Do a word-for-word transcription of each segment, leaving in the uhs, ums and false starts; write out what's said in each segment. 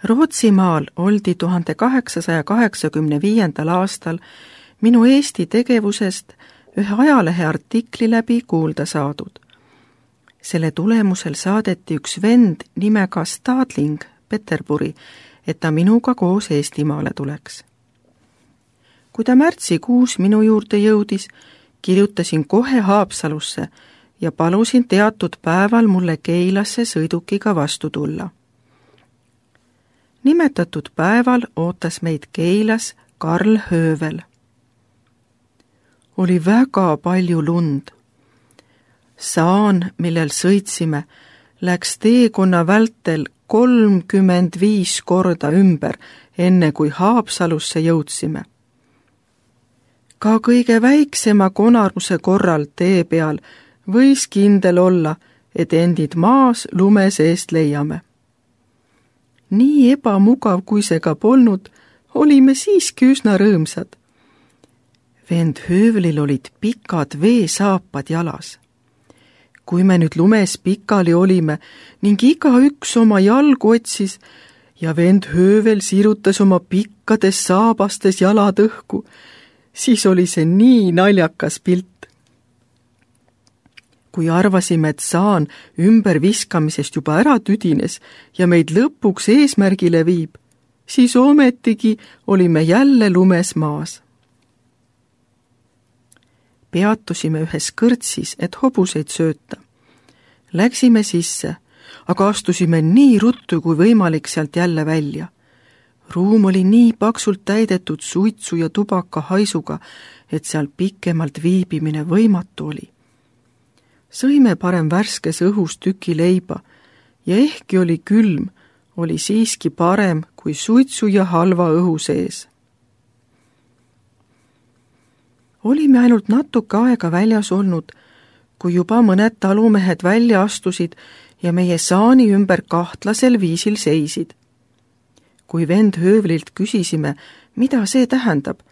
Rootsimaal oldi tuhande kaheksasaja kaheksakümne viiendal aastal minu Eesti tegevusest ühe ajalehe artikli läbi kuulda saadud. Selle tulemusel saadeti üks vend nimega Stadling Peterburi, et ta minuga koos Eestimaale tuleks. Kui ta märtsikuus minu juurde jõudis, kirjutasin kohe Haapsalusse ja palusin teatud päeval mulle Keilasse sõidukiga vastu tulla. Nimetatud päeval ootas meid Keilas Karl Höövel. Oli väga palju lund. Saan, millel sõitsime, läks teekonna vältel kolmkümmend viis korda ümber, enne kui Haapsalusse jõudsime. Ka kõige väiksema konaruse korral tee peal võis kindel olla, et endid maas lume seest leiame. Nii ebamugav, kui see ka polnud, olime siiski üsna rõõmsad. Vend Höövlil olid pikad veesaapad jalas. Kui me nüüd lumes pikali olime ning igaüks oma jalgu otsis ja vend Höövel sirutas oma pikkades saabastes jalad õhku, siis oli see nii naljakas pilt. Kui arvasime, et saan ümber viskamisest juba ära tüdines ja meid lõpuks eesmärgile viib, siis ometigi olime jälle lumes maas. Peatusime ühes kõrtsis, et hobuseid sööta. Läksime sisse, aga astusime nii ruttu kui võimalik sealt jälle välja. Ruum oli nii paksult täidetud suitsu ja tubaka haisuga, et seal pikemalt viibimine võimatu oli. Sõime parem värskes õhus tüki leiba ja ehkki oli külm, oli siiski parem kui suitsu ja halva õhu sees. Olime ainult natuke aega väljas olnud, kui juba mõned talumehed välja astusid ja meie saani ümber kahtlasel viisil seisid. Kui vend Höövlilt küsisime, mida see tähendab,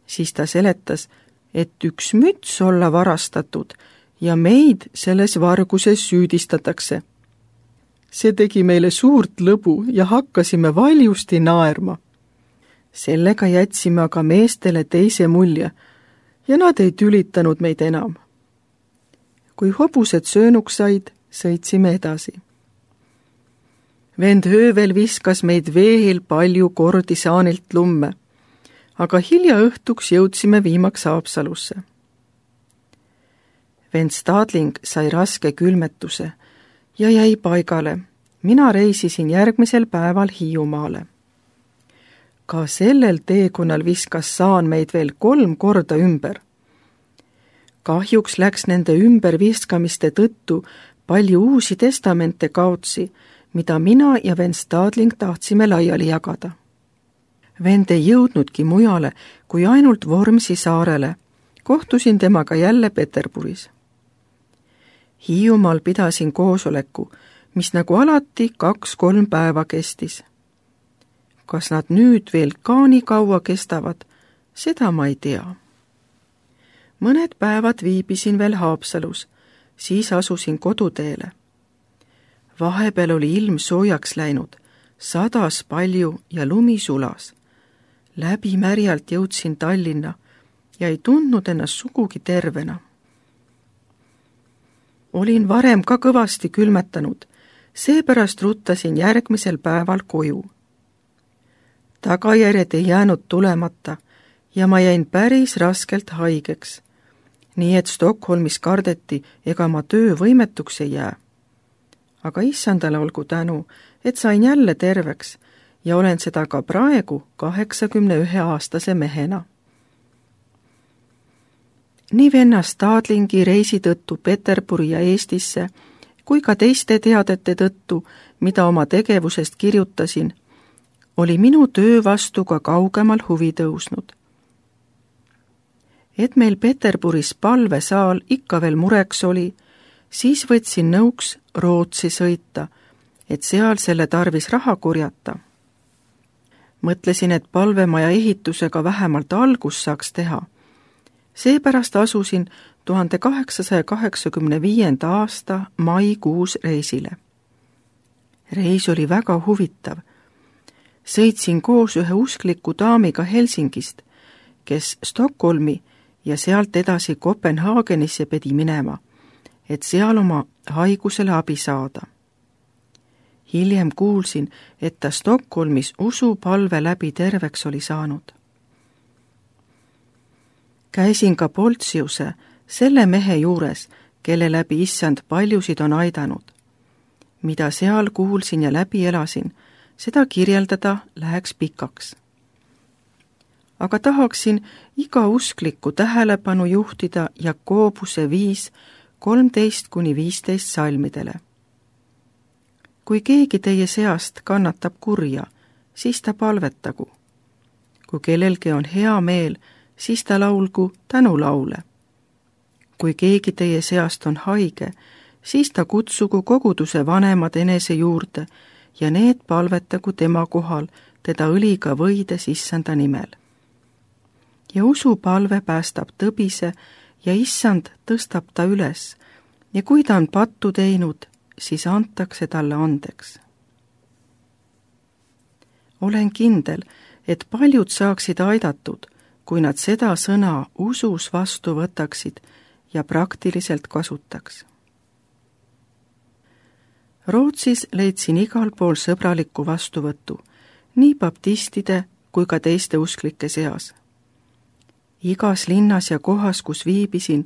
siis ta seletas, et üks müts olla varastatud ja meid selles varguses süüdistatakse. See tegi meile suurt lõbu ja hakkasime valjusti naerma. Sellega jätsime aga meestele teise mulje ja nad ei tülitanud meid enam. Kui hobused söönuks said, sõitsime edasi. Vend Höövel viskas meid veehil palju kordi saanilt lumme, aga hilja õhtuks jõudsime viimaks Haapsalusse. Vend Stadling sai raske külmetuse ja jäi paigale. Mina reisisin järgmisel päeval Hiiumaale. Ka sellel teekonnal viskas saan meid veel kolm korda ümber. Kahjuks läks nende ümberviskamiste tõttu palju uusi testamente kaotsi, mida mina ja vend Stadling tahtsime laiali jagada. Vend ei jõudnudki mujale kui ainult Vormsi saarele. Kohtusin temaga jälle Peterburis. Hiiumaal pidasin koosoleku, mis nagu alati kaks-kolm päeva kestis. Kas nad nüüd veel ka nii kaua kestavad, seda ma ei tea. Mõned päevad viibisin veel Haapsalus, siis asusin koduteele. Vahepeal oli ilm soojaks läinud, sadas palju ja lumi sulas. Läbi märjalt jõudsin Tallinna ja ei tundnud ennast sugugi tervena. Olin varem ka kõvasti külmetanud, seepärast ruttasin järgmisel päeval koju. Tagajärjed ei jäänud tulemata ja ma jäin päris raskelt haigeks, nii et Stockholmis kardeti, ega ma töövõimetuks ei jää. Aga issandale olgu tänu, et sain jälle terveks ja olen seda ka praegu kaheksakümne ühe aastase mehena. Nii venna Stadlingi reisi tõttu Peterburi ja Eestisse, kui ka teiste teadete tõttu, mida oma tegevusest kirjutasin, oli minu töö vastu ka kaugemal huvi tõusnud. Et meil Peterburis palvesaal ikka veel mureks oli, siis võtsin nõuks Rootsi sõita, et seal selle tarvis raha kurjata. Mõtlesin, et palvemaja ehitusega vähemalt algus saaks teha. Seepärast asusin tuhande kaheksasaja kaheksakümne viienda aasta maikuus reisile. Reis oli väga huvitav. sõitsin koos ühe uskliku daamiga Helsingist, kes Stockholmi ja sealt edasi Kopenhaagenisse pidi minema, et seal oma haigusele abi saada. Hiljem kuulsin, et ta Stockholmis usupalve läbi terveks oli saanud. Käisin ka Poltsiuse, selle mehe juures, kelle läbi issand paljusid on aidanud. Mida seal kuulsin ja läbi elasin, seda kirjeldada läheks pikaks. Aga tahaksin iga usklikku tähelepanu juhtida Jakobuse viis kolmteist kuni viisteist salmidele. Kui keegi teie seast kannatab kurja, siis ta palvetagu. Kui kellelgi on hea meel, siis ta laulgu tänulaule. Kui keegi teie seast on haige, siis ta kutsugu koguduse vanemad enese juurde ja need palvetagu tema kohal teda õliga võides issanda nimel. Ja usupalve päästab tõbise ja issand tõstab ta üles ja kui ta on pattu teinud, siis antakse talle andeks. Olen kindel, et paljud saaksid aidatud, kui nad seda sõna usus vastu võtaksid ja praktiliselt kasutaks. Rootsis leidsin igal pool sõbralikku vastuvõttu, nii baptistide kui ka teiste usklike seas. Igas linnas ja kohas, kus viibisin,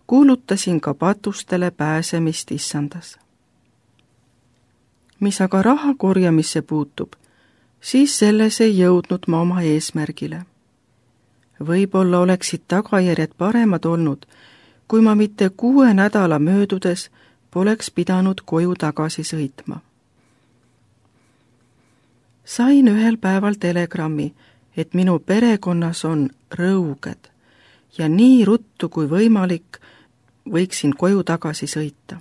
kuulutasin ka patustele pääsemist issandas. Mis aga raha korjamisse puutub, siis selles ei jõudnud ma oma eesmärgile. Võib-olla oleksid tagajärjed paremad olnud, kui ma mitte kuue nädala möödudes poleks pidanud koju tagasi sõitma. Sain ühel päeval telegrammi, et minu perekonnas on rõuged ja nii ruttu kui võimalik võiksin koju tagasi sõita.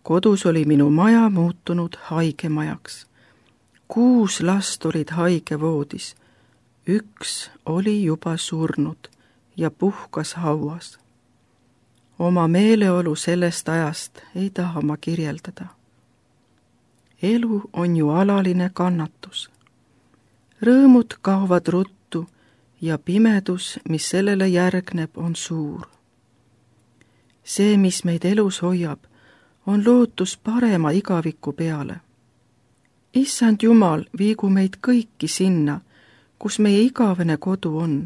Kodus oli minu maja muutunud haigemajaks. Kuus last olid haigevoodis. Üks oli juba surnud ja puhkas hauas. Oma meeleolu sellest ajast ei taha ma kirjeldada. Elu on ju alaline kannatus. Rõõmud kaovad ruttu ja pimedus, mis sellele järgneb, on suur. See, mis meid elus hoiab, on lootus parema igaviku peale. Issand Jumal, viigu meid kõiki sinna, kus meie igavene kodu on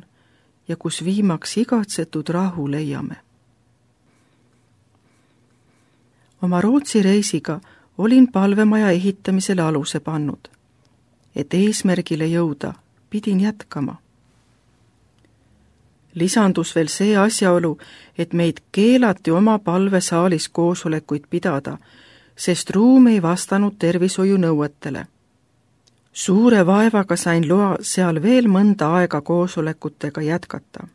ja kus viimaks igatsetud rahu leiame. Oma Rootsi reisiga olin palvemaja ehitamisele aluse pannud. Et eesmärgile jõuda, pidin jätkama. Lisandus veel see asjaolu, et meid keelati oma palvesaalis koosolekuid pidada, sest ruum ei vastanud tervishoiunõuetele. Suure vaevaga sain loa seal veel mõnda aega koosolekutega jätkata.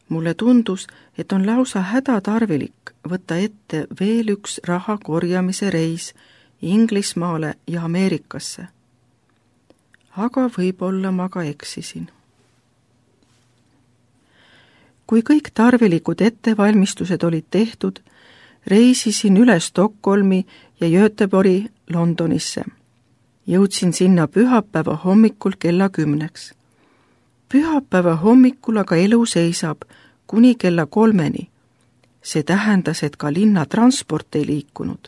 Mulle tundus, et on lausa hädatarvilik võtta ette veel üks raha korjamise reis Inglismaale ja Ameerikasse. Aga võib-olla ma ka eksisin. Kui kõik tarvilikud ettevalmistused olid tehtud, reisisin üle Stockholmi ja Göteborgi Londonisse. Jõudsin sinna pühapäeva hommikul kella kümneks. Pühapäeva hommikul aga elu seisab kuni kella kolmeni. See tähendas, et ka linna transport ei liikunud.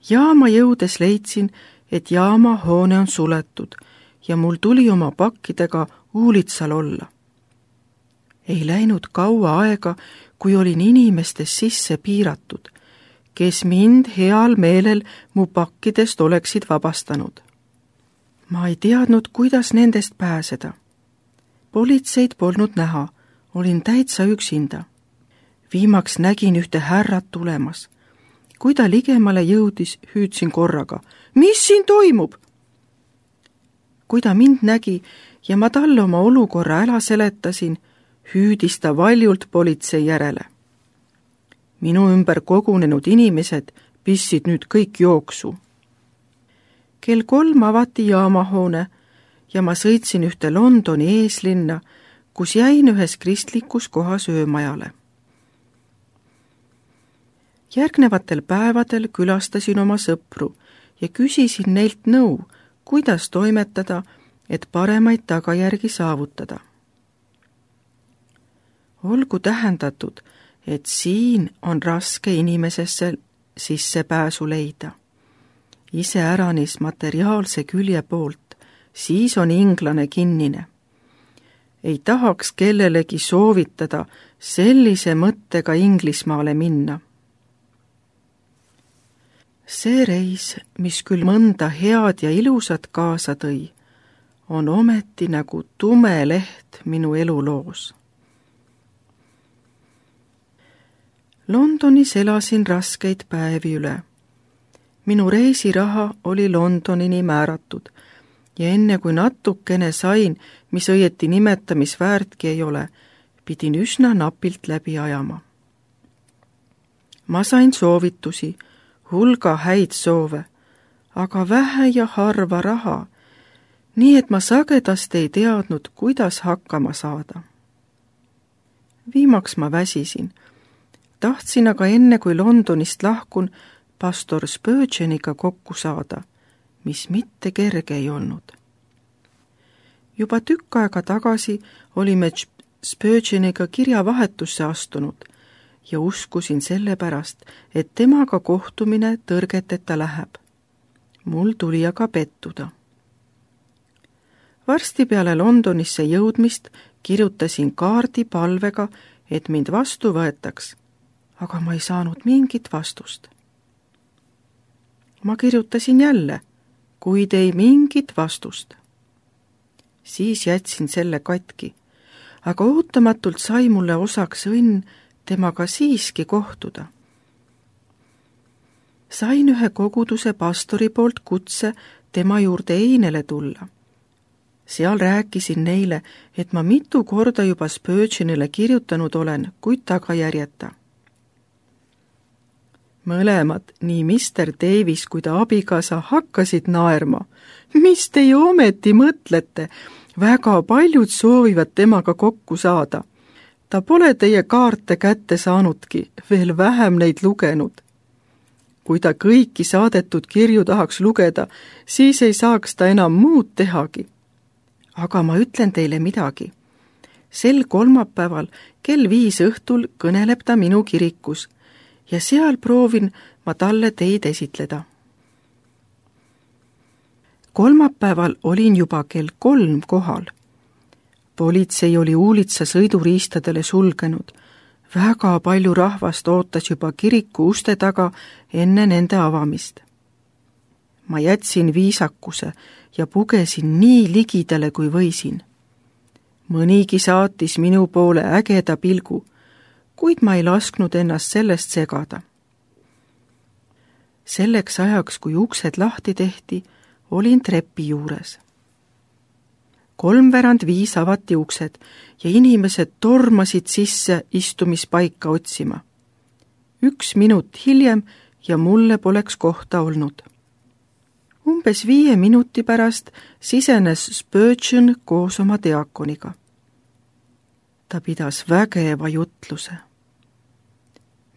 Jaama jõudes leidsin, et jaama hoone on suletud ja mul tuli oma pakkidega uulitsal olla. Ei läinud kaua aega, kui olin inimestes sisse piiratud, kes mind heal meelel mu pakkidest oleksid vabastanud. Ma ei teadnud, kuidas nendest pääseda. Politseid polnud näha, olin täitsa üksinda. Viimaks nägin ühte härrat tulemas. Kui ta ligemale jõudis, hüüdsin korraga, mis siin toimub? Kui ta mind nägi ja ma talle oma olukorra ära seletasin, hüüdis ta valjult politsei järele. Minu ümber kogunenud inimesed pissid nüüd kõik jooksu. Kell kolm avati jaamahoone ja ma sõitsin ühte Londoni eeslinna, kus jäin ühes kristlikus kohas öömajale. Järgnevatel päevadel külastasin oma sõpru ja küsisin neilt nõu, kuidas toimetada, et paremaid tagajärgi saavutada. Olgu tähendatud, et siin on raske inimesesse sissepääsu leida. Iseäranis materiaalse külje poolt, siis on inglane kinnine. Ei tahaks kellelegi soovitada sellise mõttega Inglismaale minna. See reis, mis küll mõnda head ja ilusat kaasa tõi, on ometi nagu tume leht minu eluloos. Londonis elasin raskeid päevi üle. Minu reisiraha oli Londonini määratud ja enne kui natukene sain, mis õieti nimetamisväärtki ei ole, pidin üsna napilt läbi ajama. Ma sain soovitusi, hulga häid soove, aga vähe ja harva raha, nii et ma sagedasti ei teadnud, kuidas hakkama saada. Viimaks ma väsisin. Tahtsin aga enne, kui Londonist lahkun, pastor Spurgeoniga kokku saada, mis mitte kerge ei olnud. Juba tükk aega tagasi olime Spurgeoniga kirjavahetusse astunud ja uskusin sellepärast, et temaga kohtumine tõrgeteta läheb. Mul tuli aga pettuda. Varsti peale Londonisse jõudmist kirjutasin kaardi palvega, et mind vastu võetaks, aga ma ei saanud mingit vastust. Ma kirjutasin jälle, kuid ei mingit vastust. Siis jätsin selle katki, aga ootamatult sai mulle osaks õnn temaga siiski kohtuda. Sain ühe koguduse pastori poolt kutse tema juurde einele tulla. Seal rääkisin neile, et ma mitu korda juba Spurgeonile kirjutanud olen, kuid tagajärjeta. Mõlemad, nii mister Davis kui ta abikaasa, hakkasid naerma. Mis te ju ometi mõtlete? Väga paljud soovivad temaga kokku saada. Ta pole teie kaarte kätte saanudki, veel vähem neid lugenud. Kui ta kõiki saadetud kirju tahaks lugeda, siis ei saaks ta enam muud tehagi. Aga ma ütlen teile midagi. Sel kolmapäeval kell viis õhtul kõneleb ta minu kirikus ja seal proovin ma talle teid esitleda. Kolmapäeval olin juba kell kolm kohal. Politsei oli uulitsa sõiduriistadele sulgenud. Väga palju rahvast ootas juba kiriku uste taga enne nende avamist. Ma jätsin viisakuse ja pugesin nii ligidale, kui võisin. Mõnigi saatis minu poole ägeda pilgu, kuid ma ei lasknud ennast sellest segada. Selleks ajaks, kui uksed lahti tehti, olin trepi juures. Kolmveerand viis avati uksed ja inimesed tormasid sisse istumispaika otsima. Üks minut hiljem ja mulle poleks kohta olnud. Umbes viie minuti pärast sisenes Spurgeon koos oma diakoniga. Ta pidas vägeva jutluse.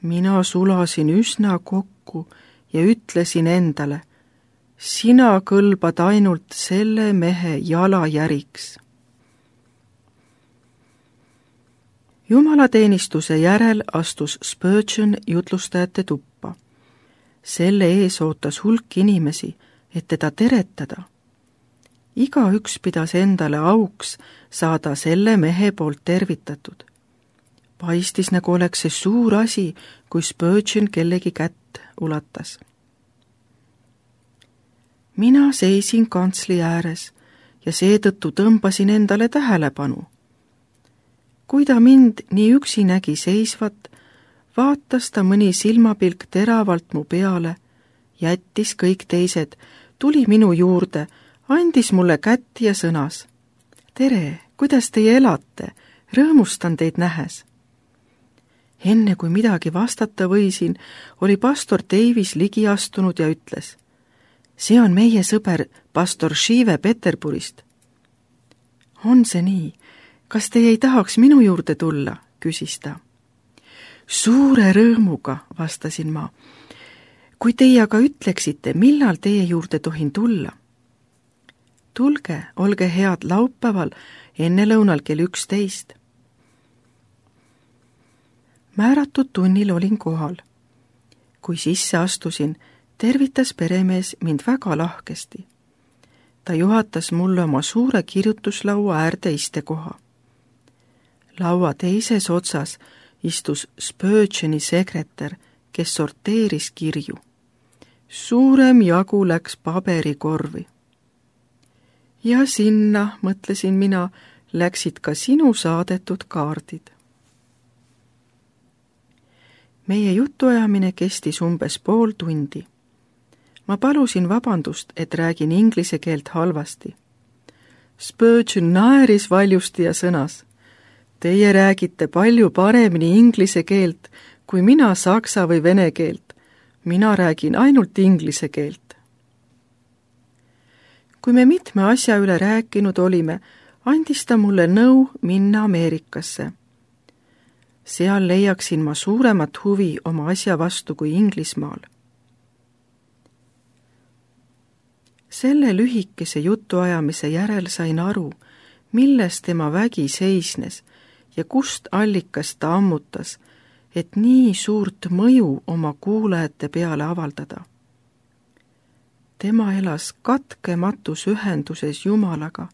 Mina sulasin üsna kokku ja ütlesin endale, sina kõlbad ainult selle mehe jalajäriks. Jumalateenistuse järel astus Spurgeon jutlustajate tuppa. Selle ees ootas hulk inimesi, et teda teretada. Igaüks pidas endale auks saada selle mehe poolt tervitatud. Paistis, nagu oleks see suur asi, kui Spurgeon kellegi kätt ulatas. Mina seisin kantsli ääres ja seetõttu tõmbasin endale tähelepanu. Kui ta mind nii üksi nägi seisvat, vaatas ta mõni silmapilk teravalt mu peale, jättis kõik teised, tuli minu juurde, andis mulle kätt ja sõnas. Tere, kuidas teie elate? Rõõmustan teid nähes. Enne kui midagi vastata võisin, oli pastor Davis ligi astunud ja ütles. See on meie sõber, pastor Shive Peterburist. On see nii? Kas teie ei tahaks minu juurde tulla? Küsis ta. Suure rõõmuga, vastasin ma. kui teie aga ütleksite, millal teie juurde tohin tulla? Tulge, olge head laupäeval ennelõunal kell üksteist. Määratud tunnil olin kohal. Kui sisse astusin, tervitas peremees mind väga lahkesti. Ta juhatas mulle oma suure kirjutuslaua äärde istekoha. Laua teises otsas istus Spurgeoni sekretär, kes sorteeris kirju. Suurem jagu läks paberikorvi. Ja sinna, mõtlesin mina, läksid ka sinu saadetud kaardid. Meie jutuajamine kestis umbes pool tundi. Ma palusin vabandust, et räägin inglise keelt halvasti. Spurgeon naeris valjusti ja sõnas: Teie räägite palju paremini inglise keelt, kui mina saksa või vene keelt. Mina räägin ainult inglise keelt. Kui me mitme asja üle rääkinud olime, andis ta mulle nõu minna Ameerikasse. Seal leiaksin ma suuremat huvi oma asja vastu kui Inglismaal. Selle lühikese jutuajamise järel sain aru, milles tema vägi seisnes ja kust allikas ta ammutas, et nii suurt mõju oma kuulajate peale avaldada. Tema elas katkematus ühenduses Jumalaga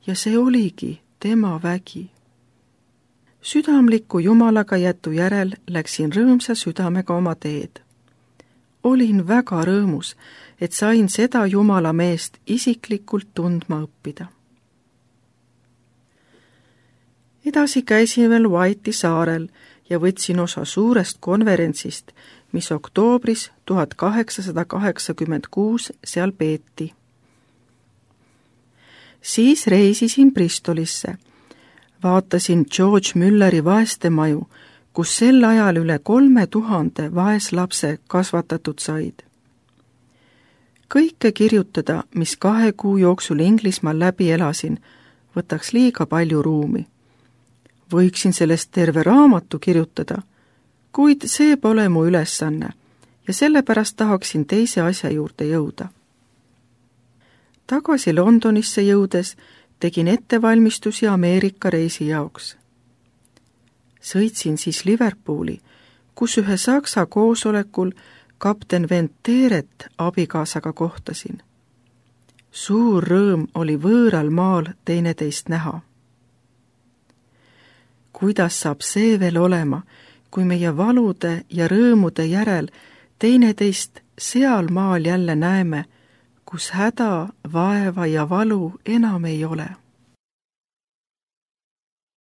ja see oligi tema vägi. Südamliku Jumalaga jätu järel läksin rõõmsa südamega oma teed. Olin väga rõõmus, et sain seda Jumala meest isiklikult tundma õppida. Edasi käisin veel White'i saarel ja võtsin osa suurest konverentsist, mis oktoobris tuhat kaheksasada kaheksakümmend kuus seal peeti. Siis reisisin Bristolisse. Vaatasin George Mülleri vaestemaju, kus sel ajal üle kolme tuhande vaeslapse kasvatatud said. Kõike kirjutada, mis kahe kuu jooksul Inglismaal läbi elasin, võtaks liiga palju ruumi. Võiksin sellest terve raamatu kirjutada, kuid see pole mu ülesanne ja sellepärast tahaksin teise asja juurde jõuda. Tagasi Londonisse jõudes tegin ettevalmistusi Ameerika reisi jaoks. Sõitsin siis Liverpooli, kus ühe saksa koosolekul kapten Venteret abikaasaga kohtasin. Suur rõõm oli võõral maal teineteist näha. Kuidas saab see veel olema, kui meie valude ja rõõmude järel teineteist seal maal jälle näeme, kus häda, vaeva ja valu enam ei ole?